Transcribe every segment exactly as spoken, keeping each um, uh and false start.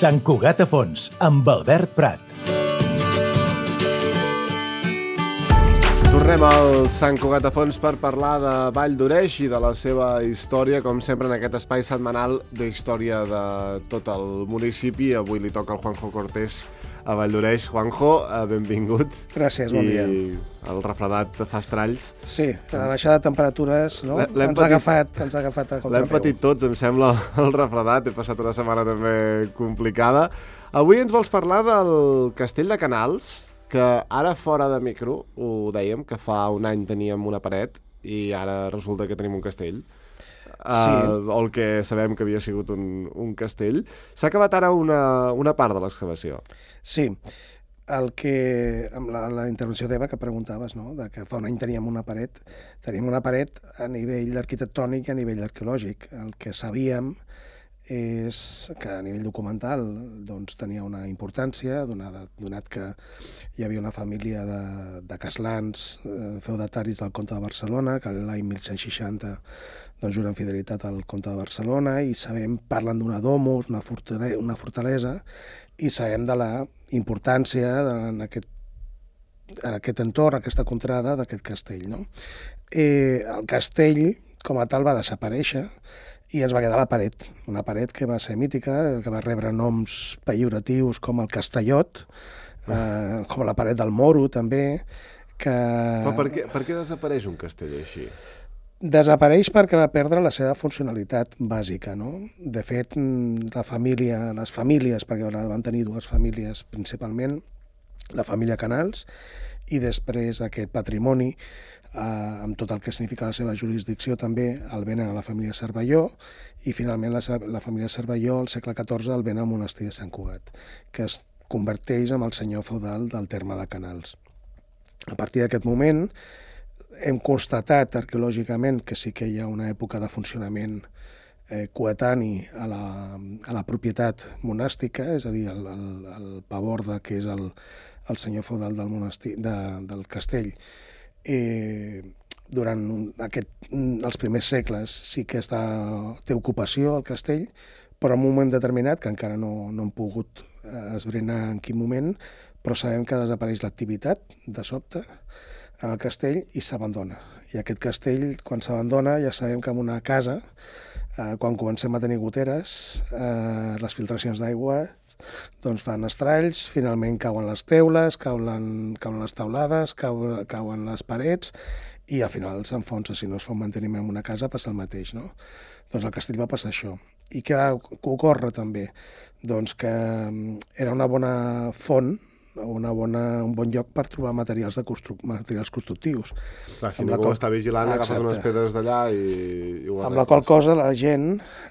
Sant Cugat a fons, amb Albert Prat. Tornem al Sant Cugat a fons per parlar de Vall d'Oreix i de la seva història, com sempre en aquest espai setmanal d'història de tot el municipi. Avui li toca al Juanjo Cortés a Vall d'Oreix. Juanjo, benvingut. Gràcies, bon dia. I el refredat fa estralls. Sí, la baixada de temperatures no? ens, ha agafat, ens ha agafat a contrapeu. L'hem patit tots, em sembla, el refredat. He passat una setmana també complicada. Avui ens vols parlar del Castell de Canals, que ara fora de micro ho dèiem, que fa un any teníem una paret i ara resulta que tenim un castell. Sí. Uh, o el que sabem que havia sigut un, un castell. S'ha acabat ara una, una part de l'excavació. Sí, el que, amb la, la intervenció teva que preguntaves, no? De que fa un any teníem una paret, teníem una paret a nivell arquitectònic i a nivell arqueològic. El que sabíem és que a nivell documental doncs, tenia una importància, donat, donat que hi havia una família de, de caslans, eh, feudataris del comte de Barcelona, que l'any mil cent seixanta doncs, juren fidelitat al comte de Barcelona, i sabem, parlen d'una domus, una fortalesa, una fortalesa, i sabem de la importància de, en, aquest, en aquest entorn, aquesta contrada d'aquest castell. No? Eh, el castell, com a tal, va desaparèixer, i ens va quedar la paret, una paret que va ser mítica, que va rebre noms pejoratius com el Castellot, eh, com la paret del Moro, també, que... Però per què, per què desapareix un castell així? Desapareix perquè va perdre la seva funcionalitat bàsica, no? De fet, la família, les famílies, perquè van tenir dues famílies principalment, la família Canals, i després aquest patrimoni, eh, amb tot el que significa la seva jurisdicció també, el venen a la família Cervelló, i finalment la, la família Cervelló al segle catorze el venen al monestir de Sant Cugat, que es converteix en el senyor feudal del terme de Canals. A partir d'aquest moment hem constatat arqueològicament que sí que hi ha una època de funcionament eh, coetani a la, a la propietat monàstica, és a dir, el, el, el paborde, que és el, el senyor feudal del monestir, de, del castell. Eh, durant un, aquest, els primers segles sí que està, té ocupació el castell, però en un moment determinat, que encara no, no hem pogut eh, esbrinar en quin moment, però sabem que desapareix l'activitat de sobte en el castell i s'abandona. I aquest castell, quan s'abandona, ja sabem que en una casa, eh, quan comencem a tenir goteres, eh, les filtracions d'aigua doncs fan estralls, finalment cauen les teules, cauen, cauen les taulades, cauen, cauen les parets, i al final s'enfonsa. Si no es fa un manteniment en una casa, passa el mateix, no? Doncs al castell va passar això. I què va ocórrer també? Doncs que era una bona font, una bona, un bon lloc per trobar materials, de constru materials constructius. Clar, si ningú qual... està vigilant, ah, agafes unes pedres d'allà i, i ho arregles. Amb la qual cosa la gent,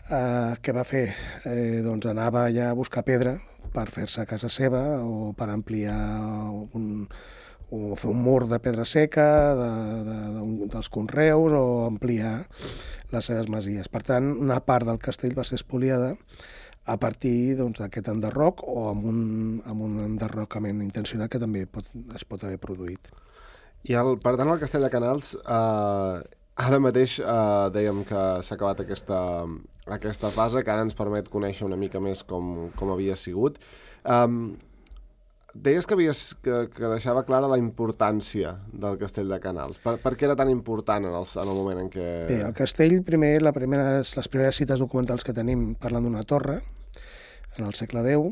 eh, què va fer? Eh, doncs anava allà a buscar pedra per fer-se a casa seva o per ampliar un, o fer un mur de pedra seca de, de, de, dels conreus o ampliar les seves masies. Per tant, una part del castell va ser espoliada a partir d'aquest doncs, enderroc o amb un, amb un enderrocament intencionat que també pot, es pot haver produït. I el, per tant, el Castell de Canals, eh, ara mateix eh, dèiem que s'ha acabat aquesta, aquesta fase, que ara ens permet conèixer una mica més com, com havia sigut. Um, deies que, havies, que, que deixava clara la importància del Castell de Canals. Per, per què era tan important en el, en el moment en què... Bé, el castell, primer, la primeres, les primeres cites documentals que tenim parlen d'una torre, en el segle deu,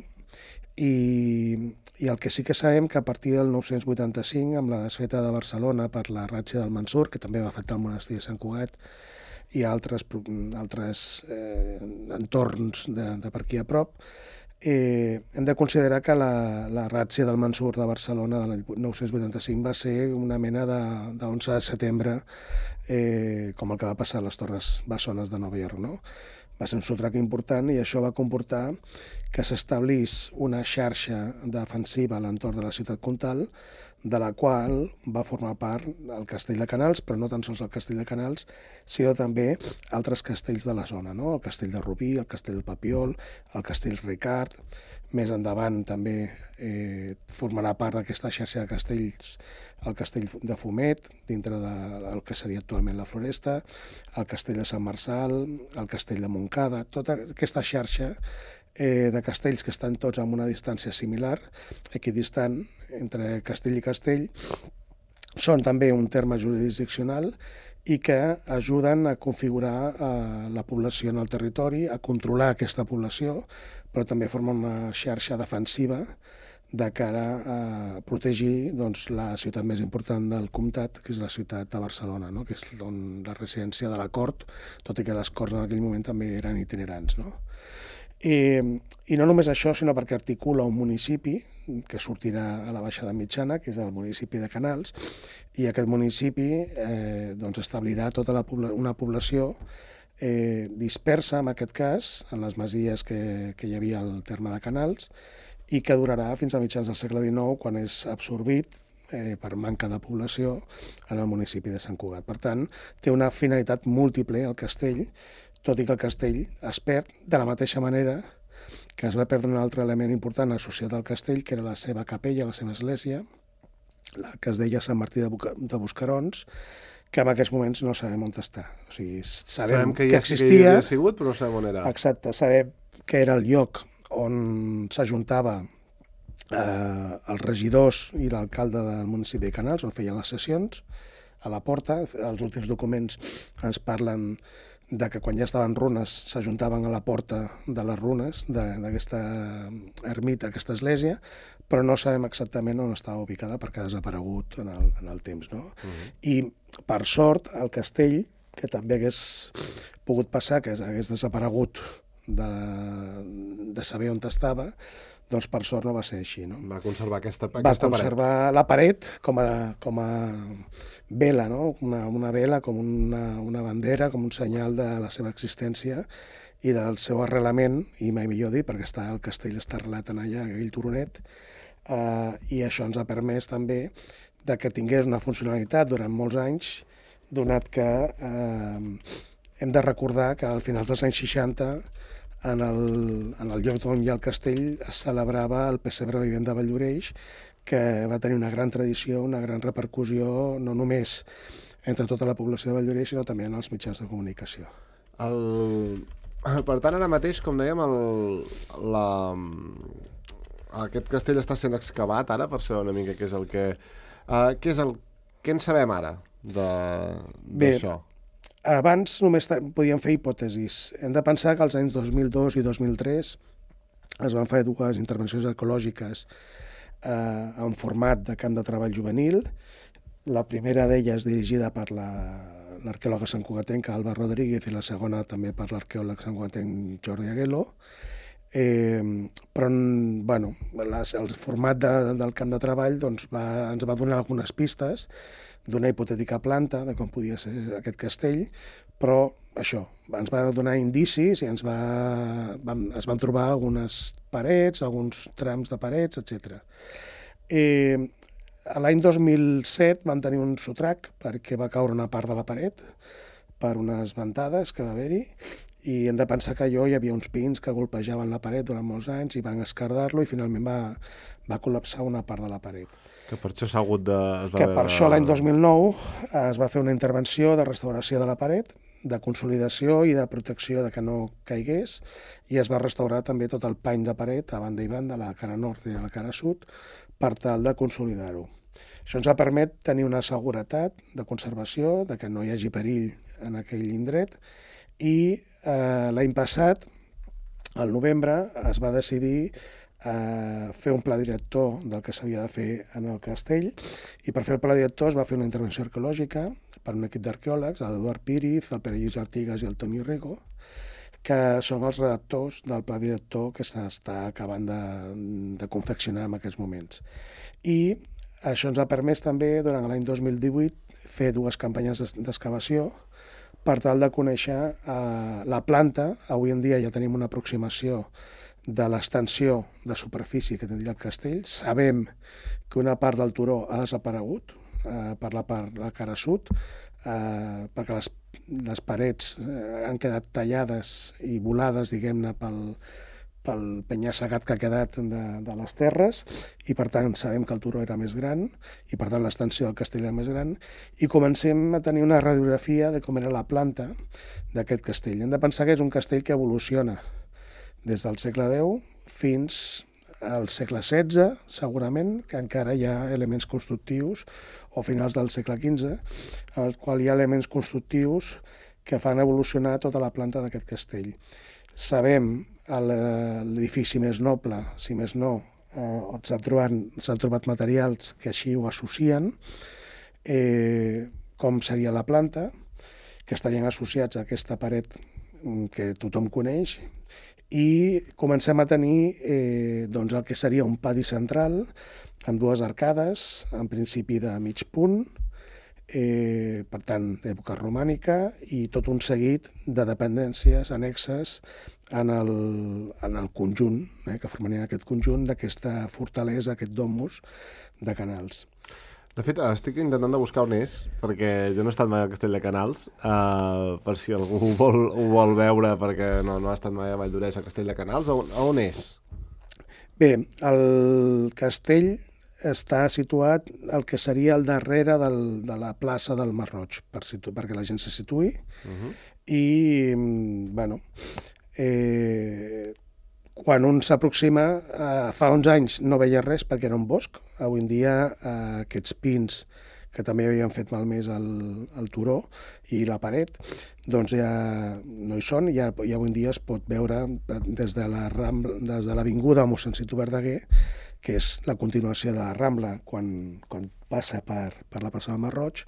i, i el que sí que sabem que a partir del nou-cents vuitanta-cinc, amb la desfeta de Barcelona per la ràtzia del Mansur, que també va afectar el monestir de Sant Cugat, i altres, altres eh, entorns de, de per aquí a prop, eh, hem de considerar que la, la ràtzia del Mansur de Barcelona de l'any nou-cents vuitanta-cinc va ser una mena d'onze de, de setembre, eh, com el que va passar a les Torres Bessones de Nova York, no? Va ser un sotrac important i això va comportar que s'establís una xarxa defensiva a l'entorn de la ciutat comtal, de la qual va formar part el Castell de Canals, però no tan sols el Castell de Canals, sinó també altres castells de la zona, no? El Castell de Rubí, el Castell del Papiol, el Castell Ricard. Més endavant també eh, formarà part d'aquesta xarxa de castells el Castell de Fumet, dintre del que seria actualment la Floresta, el Castell de Sant Marçal, el Castell de Montcada. Tota aquesta xarxa eh, de castells que estan tots amb una distància similar, equidistant entre castell i castell. Són també un terme jurisdiccional i que ajuden a configurar eh, la població en el territori, a controlar aquesta població, però també formen una xarxa defensiva de cara a protegir doncs, la ciutat més important del comtat, que és la ciutat de Barcelona, no? Que és on la residència de la cort, tot i que les corts en aquell moment també eren itinerants. No? I, I no només això, sinó perquè articula un municipi que sortirà a la baixada mitjana, que és el municipi de Canals, i aquest municipi eh, doncs establirà tota la pobla una població eh, dispersa, en aquest cas, en les masies que, que hi havia al terme de Canals, i que durarà fins a mitjans del segle dinou, quan és absorbit eh, per manca de població en el municipi de Sant Cugat. Per tant, té una finalitat múltiple el castell, tot i que el castell es perd de la mateixa manera que es va perdre un altre element important associat al castell, que era la seva capella, la seva església, la que es deia Sant Martí de, Buca de Buscarons, que en aquests moments no sabem on està. O sigui, sabem, sabem que, que ja, existia... que hi havia sigut, però no sabem on era. Exacte, sabem que era el lloc on s'ajuntava eh, els regidors i l'alcalde del municipi de Canals, on feien les sessions, a la porta. Els últims documents ens parlen de que quan ja estaven runes s'ajuntaven a la porta de les runes d'aquesta ermita, aquesta església, però no sabem exactament on estava ubicada perquè ha desaparegut en el, en el temps. No? Uh-huh. I, per sort, el castell, que també hagués pogut passar, que hagués desaparegut de, de saber on estava, doncs per sort no va ser així. No? Va conservar aquesta, va aquesta conservar paret. la paret com a, com a vela, no? una, una vela, com una, una bandera, com un senyal de la seva existència i del seu arrelament, i mai millor dit, perquè està, el castell està arrelat en allà, aquell turonet, eh, i això ens ha permès també de que tingués una funcionalitat durant molts anys, donat que eh, hem de recordar que al finals dels anys seixanta en el, en el lloc on hi ha el castell es celebrava el pessebre vivent de Valldoreix, que va tenir una gran tradició, una gran repercussió, no només entre tota la població de Valldoreix, sinó també en els mitjans de comunicació. El... Per tant, ara mateix, com dèiem, el... la... aquest castell està sent excavat ara, per saber una mica què és el que... Uh, què és el... Què en sabem ara d'això? Abans només podíem fer hipòtesis. Hem de pensar que als anys dos mil dos i dos mil tres es van fer dues intervencions arqueològiques eh, en format de camp de treball juvenil. La primera d'elles dirigida per l'arqueòloga la, santcugatenca Alba Rodríguez i la segona també per l'arqueòleg santcugatenc Jordi Aguelo. Eh, però bueno, les, el format de, del camp de treball doncs, va, ens va donar algunes pistes d'una hipotètica planta, de com podia ser aquest castell, però això, ens va donar indicis i ens va, vam, es van trobar algunes parets, alguns trams de parets, etcètera. Eh, L'any dos mil set vam tenir un sotrac perquè va caure una part de la paret per unes ventades que va haver-hi, i hem de pensar que allò hi havia uns pins que golpejaven la paret durant molts anys i van esquerdar-lo i finalment va, va col·lapsar una part de la paret. Que per això s'ha hagut de... Es va que per això l'any dos mil nou es va fer una intervenció de restauració de la paret, de consolidació i de protecció de que no caigués, i es va restaurar també tot el pany de paret a banda i banda, la cara nord i la cara sud, per tal de consolidar-ho. Això ens ha permet tenir una seguretat de conservació, de que no hi hagi perill en aquell indret, i eh, l'any passat, al novembre, es va decidir a fer un pla director del que s'havia de fer en el castell, i per fer el pla director es va fer una intervenció arqueològica per un equip d'arqueòlegs, l'Eduard Píriz, el Pere Lluís Artigas i el Toni Rigo, que són els redactors del pla director que s'està acabant de, de confeccionar en aquests moments. I això ens ha permès també, durant l'any dos mil divuit, fer dues campanyes d'excavació per tal de conèixer eh, la planta. Avui en dia ja tenim una aproximació de l'extensió de superfície que tindria el castell. Sabem que una part del turó ha desaparegut eh, per la part la cara sud, eh, perquè les, les parets eh, han quedat tallades i volades, diguem-ne, pel, pel penya-segat que ha quedat de, de les terres, i per tant sabem que el turó era més gran i per tant l'extensió del castell era més gran, i comencem a tenir una radiografia de com era la planta d'aquest castell. Hem de pensar que és un castell que evoluciona des del segle deu fins al segle setze, segurament, que encara hi ha elements constructius, o finals del segle quinze, en el qual hi ha elements constructius que fan evolucionar tota la planta d'aquest castell. Sabem l'edifici més noble, si més no, on s'han trobat, s'han trobat materials que així ho associen, eh, com seria la planta, que estarien associats a aquesta paret que tothom coneix, i comencem a tenir eh, doncs el que seria un pati central amb dues arcades, en principi de mig punt, eh, per tant, d'època romànica, i tot un seguit de dependències annexes en el, en el conjunt, eh, que formarien aquest conjunt d'aquesta fortalesa, aquest domus de Canals. De fet, estic intentant de buscar on és, perquè jo no he estat mai al Castell de Canals, uh, per si algú ho vol, ho vol veure, perquè no, no ha estat mai a Valldoreix, al Castell de Canals. On, on és? Bé, el castell està situat al que seria al darrere del, de la plaça del Marroig, per situ, perquè la gent se situï. Uh-huh. I, bueno, eh, quan un s'aproxima, eh, fa uns anys no veia res perquè era un bosc. Avui en dia eh, aquests pins, que també havien fet malmès el, el turó i la paret, doncs ja no hi són, i ja, ja avui en dia es pot veure des de la Rambla, des de l'avinguda mossèn Citu Verdaguer, que és la continuació de la Rambla, quan, quan passa per, per la plaça del Marroig,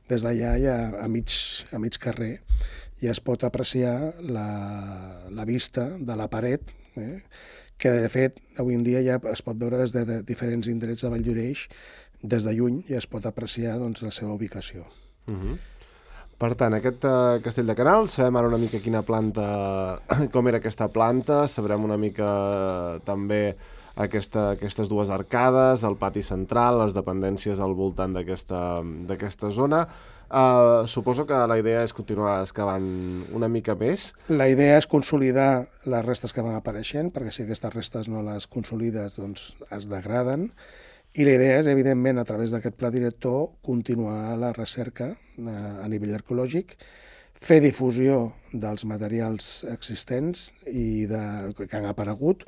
des d'allà ja a mig, a mig carrer ja es pot apreciar la, la vista de la paret, eh? que de fet avui en dia ja es pot veure des de, de diferents indrets de Valldoreix, des de lluny ja es pot apreciar doncs, la seva ubicació. Uh-huh. Per tant, aquest uh, Castell de Canals, sabem ara una mica quina planta, com era aquesta planta, sabrem una mica uh, també aquesta, aquestes dues arcades, el pati central, les dependències al voltant d'aquesta d'aquesta zona. Uh, suposo que la idea és continuar excavant una mica més. La idea és consolidar les restes que van apareixent, perquè si aquestes restes no les consolides, doncs es degraden. I la idea és, evidentment, a través d'aquest pla director, continuar la recerca eh, a nivell arqueològic, fer difusió dels materials existents i de, que han aparegut.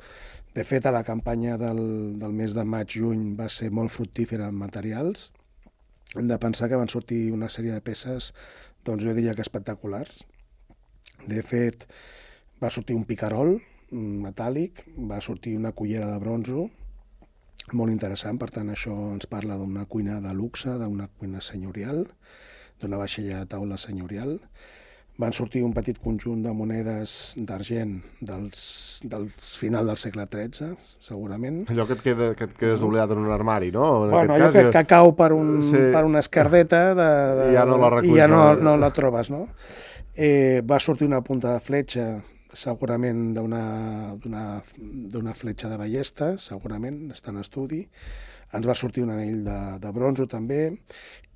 De fet, a la campanya del, del mes de maig-juny va ser molt fructífera en materials. Hem de pensar que van sortir una sèrie de peces, doncs jo diria que espectaculars. De fet, va sortir un picarol metàl·lic, va sortir una cullera de bronzo, molt interessant, per tant això ens parla d'una cuina de luxe, d'una cuina senyorial, d'una vaixella de taula senyorial. Van sortir un petit conjunt de monedes d'argent dels, dels final del segle tretze, segurament. Allò que et, queda, que et quedes oblidat en un armari, no? En bueno, allò cas, que, jo... que cau per, un, sí. per una escardeta de, de, i ja no la reculls. I ja no, no la trobes, no? Eh, va sortir una punta de fletxa, segurament d'una fletxa de ballesta, segurament, està en estudi. Ens va sortir un anell de, de bronzo també,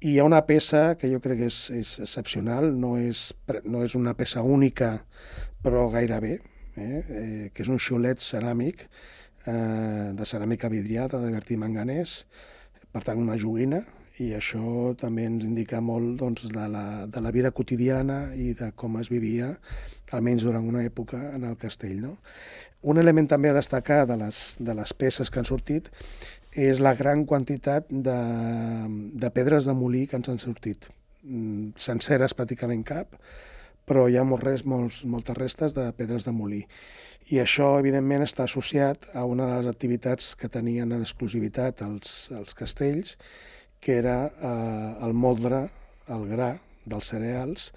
i hi ha una peça que jo crec que és, és excepcional, no és, no és una peça única, però gairebé, eh? Eh, que és un xiulet ceràmic, eh, de ceràmica vidriada, de Bertí Manganès, per tant una joguina, i això també ens indica molt doncs, de, la, de la vida quotidiana i de com es vivia, almenys durant una època, en el castell. No? Un element també a destacar de les, de les peces que han sortit és la gran quantitat de, de pedres de molí que ens han sortit. Senceres pràcticament cap, però hi ha molts res, molts, moltes restes de pedres de molí. I això, evidentment, està associat a una de les activitats que tenien en exclusivitat els, els castells, que era eh, el moldre, el gra dels cereals,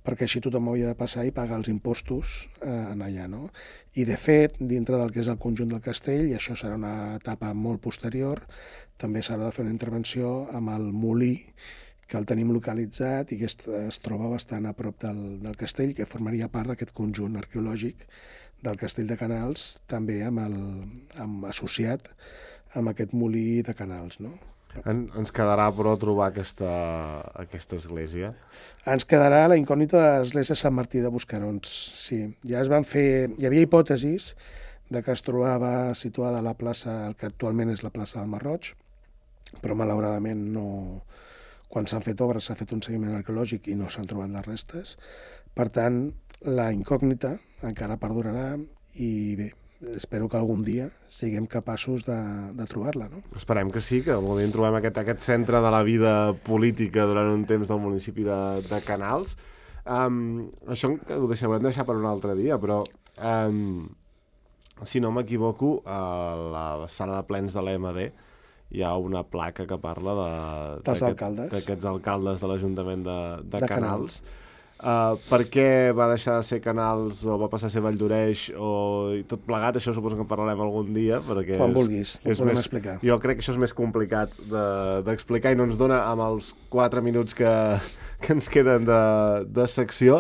perquè així tothom havia de passar i pagar els impostos eh, en allà. No? I, de fet, dintre del que és el conjunt del castell, i això serà una etapa molt posterior, també s'ha de fer una intervenció amb el molí, que el tenim localitzat i que es, es troba bastant a prop del, del castell, que formaria part d'aquest conjunt arqueològic del castell de Canals, també amb el, amb, associat amb aquest molí de Canals. No? En, ens quedarà, però, trobar aquesta, aquesta església. Ens quedarà la incògnita de l'església Sant Martí de Buscarons. Sí, ja es van fer... Hi havia hipòtesis de que es trobava situada a la plaça, el que actualment és la plaça del Marroig, però malauradament no... Quan s'han fet obres s'ha fet un seguiment arqueològic i no s'han trobat les restes. Per tant, la incògnita encara perdurarà i bé, espero que algun dia siguem capaços de, de trobar-la, no? Esperem que sí, que algun dia trobem aquest, aquest centre de la vida política durant un temps del municipi de, de Canals. Um, això ho deixarem deixar per un altre dia, però um, si no m'equivoco, a la sala de plens de l'E M D hi ha una placa que parla de, dels d'aquest, alcaldes. d'aquests alcaldes de l'Ajuntament de, de, De Canals. Uh, per què va deixar de ser Canals o va passar a ser Valldoreix o i tot plegat, això suposo que en parlarem algun dia, perquè Quan és, vulguis, ho és podem més, explicar. jo crec que això és més complicat d'explicar de, i no ens dona amb els quatre minuts que, que ens queden de, de secció.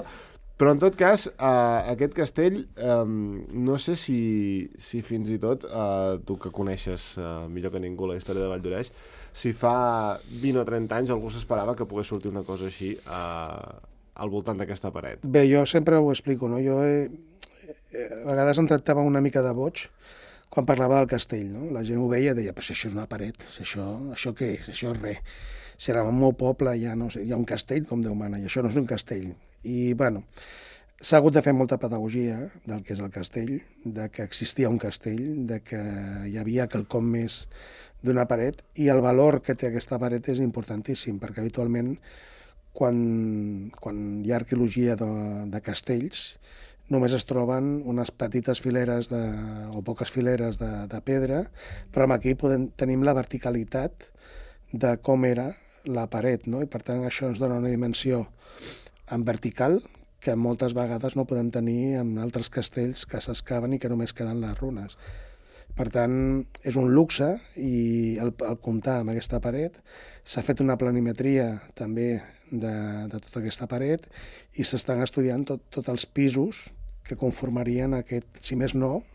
Però, en tot cas, uh, aquest castell, um, no sé si, si fins i tot, uh, tu que coneixes uh, millor que ningú la història de Valldoreix, si fa vint o trenta anys algú s'esperava que pogués sortir una cosa així uh, al voltant d'aquesta paret. Bé, jo sempre ho explico, no? Jo he, a vegades em tractava una mica de boig quan parlava del castell, no? La gent ho veia i deia, però si això és una paret, si això, això què és? Això és res. Si era el meu poble ja no sé, hi ha un castell, com Déu mana, i això no és un castell. I, bueno, s'ha hagut de fer molta pedagogia del que és el castell, de que existia un castell, de que hi havia quelcom més d'una paret, i el valor que té aquesta paret és importantíssim, perquè habitualment quan, quan hi ha arqueologia de, de castells només es troben unes petites fileres de, o poques fileres de, de pedra, però aquí podem, tenim la verticalitat de com era la paret, no? I per tant això ens dona una dimensió en vertical que moltes vegades no podem tenir en altres castells que s'excaven i que només queden les runes. Per tant, és un luxe i el, el comptar amb aquesta paret, s'ha fet una planimetria també de, de tota aquesta paret i s'estan estudiant tot, tots els pisos que conformarien aquest, si més no,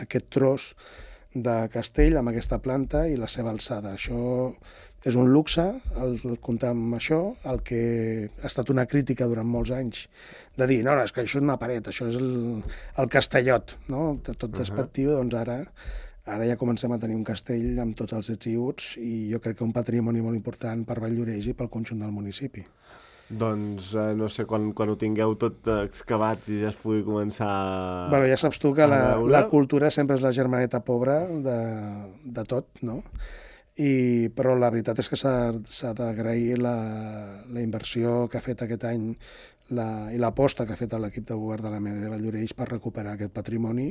aquest tros de castell amb aquesta planta i la seva alçada. Això és un luxe, el, el comptar amb això, el que ha estat una crítica durant molts anys, de dir, no, no, és que això és una paret, això és el, el castellot, no? Tot despectiu, uh-huh. Doncs ara, ara ja comencem a tenir un castell amb tots els ets i uts i jo crec que un patrimoni molt important per Valldoreix i pel conjunt del municipi. Doncs eh, no sé, quan, quan ho tingueu tot excavat i ja es pugui començar a... Bueno, ja saps tu que la, la cultura sempre és la germaneta pobra de, de tot, no? I, però la veritat és que s'ha d'agrair la, la inversió que ha fet aquest any la, i l'aposta que ha fet l'equip de govern de l'A M D de Valldoreix per recuperar aquest patrimoni,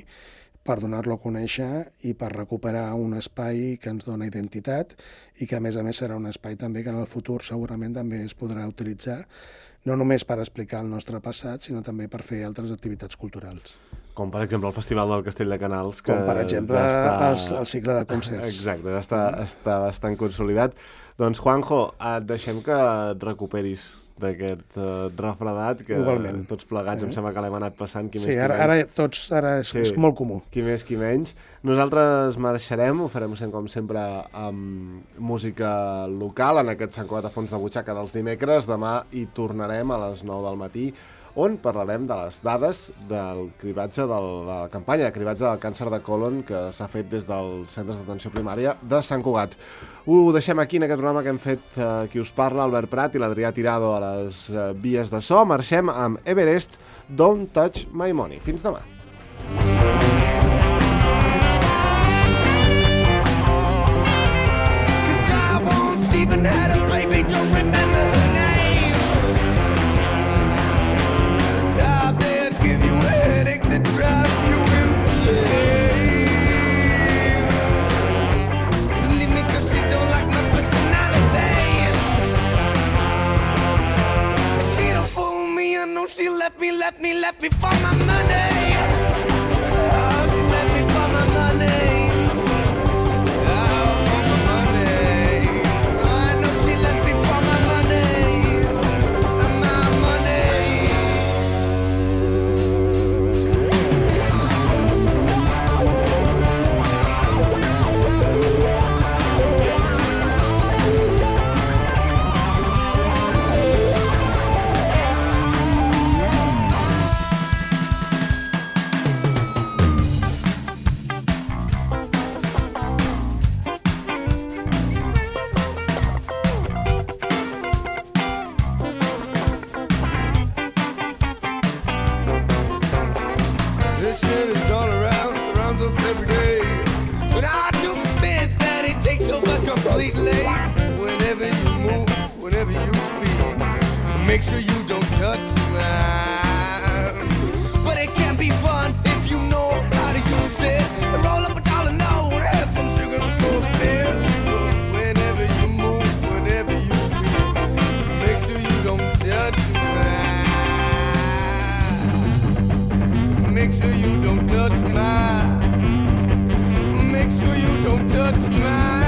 per donar-lo a conèixer i per recuperar un espai que ens dona identitat i que a més a més serà un espai també que en el futur segurament també es podrà utilitzar no només per explicar el nostre passat, sinó també per fer altres activitats culturals. Com, per exemple, el Festival del Castell de Canals. Que Com, per exemple, ja està... el, el cicle de concerts. Exacte, ja està, està bastant consolidat. Doncs, Juanjo, et deixem que et recuperis d'aquest uh, refredat, que Igualment. Tots plegats eh? Em sembla que l'hem anat passant, qui sí, més qui ara, menys. Ara tots, ara és, sí, és molt comú. Qui més qui menys. Nosaltres marxarem, ho farem com sempre amb música local, en aquest Sant Cugat a fons de butxaca dels dimecres. Demà hi tornarem a les nou del matí, on parlarem de les dades del cribatge de la campanya de cribatge del càncer de còlon que s'ha fet des dels centres d'atenció primària de Sant Cugat. Ho deixem aquí en aquest programa que hem fet eh, qui us parla, Albert Prat i l'Adrià Tirado a les eh, vies de so. Marxem amb Everest, Don't Touch My Money. Fins demà. She left me, left me, left me for my money. Oh, she left me for my money. Oh, for my money. I know she left me for my money. My money. Make sure you don't touch mine. But it can be fun if you know how to use it. Roll up a dollar now and have some sugar and fulfill. But whenever you move, whenever you speak, make sure you don't touch mine. Make sure you don't touch mine. Make sure you don't touch mine.